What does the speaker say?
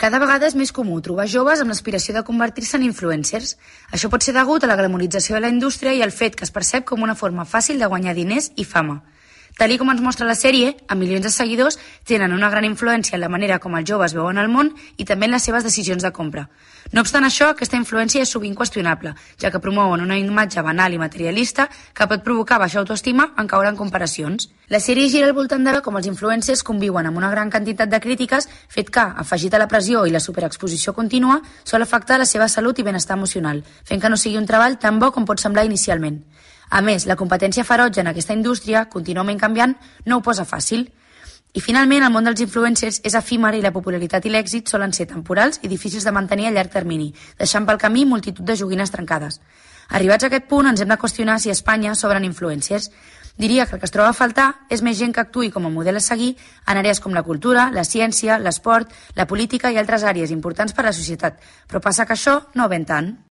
Cada vegada és més comú trobar joves amb l'aspiració de convertir-se en influencers. Això pot ser degut a la glamorització de la indústria i al fet que es percep com una forma fàcil de guanyar diners i fama. Tal com ens mostra la sèrie, amb milions de seguidors, tenen una gran influència en la manera com els joves veuen el món i també en les seves decisions de compra. No obstant això, aquesta influència és sovint qüestionable, ja que promouen una imatge banal i materialista que pot provocar baixa autoestima en caure en comparacions. La sèrie gira al voltant de com els influencers conviuen amb una gran quantitat de crítiques, fet que, afegit a la pressió i la superexposició contínua, sol afectar la seva salut i benestar emocional, fent que no sigui un treball tan bo com pot semblar inicialment. A més, la competència ferotge en aquesta indústria, contínuament canviant, no ho posa fàcil. I finalment, el món dels influencers és efímer i la popularitat i l'èxit solen ser temporals i difícils de mantenir a llarg termini, deixant pel camí multitud de joguines trencades. Arribats a aquest punt, ens hem de qüestionar si a Espanya sobren influencers. Diria que el que es troba a faltar és més gent que actuï com a model a seguir en àrees com la cultura, la ciència, l'esport, la política i altres àrees importants per a la societat. Però passa que això no ven tant.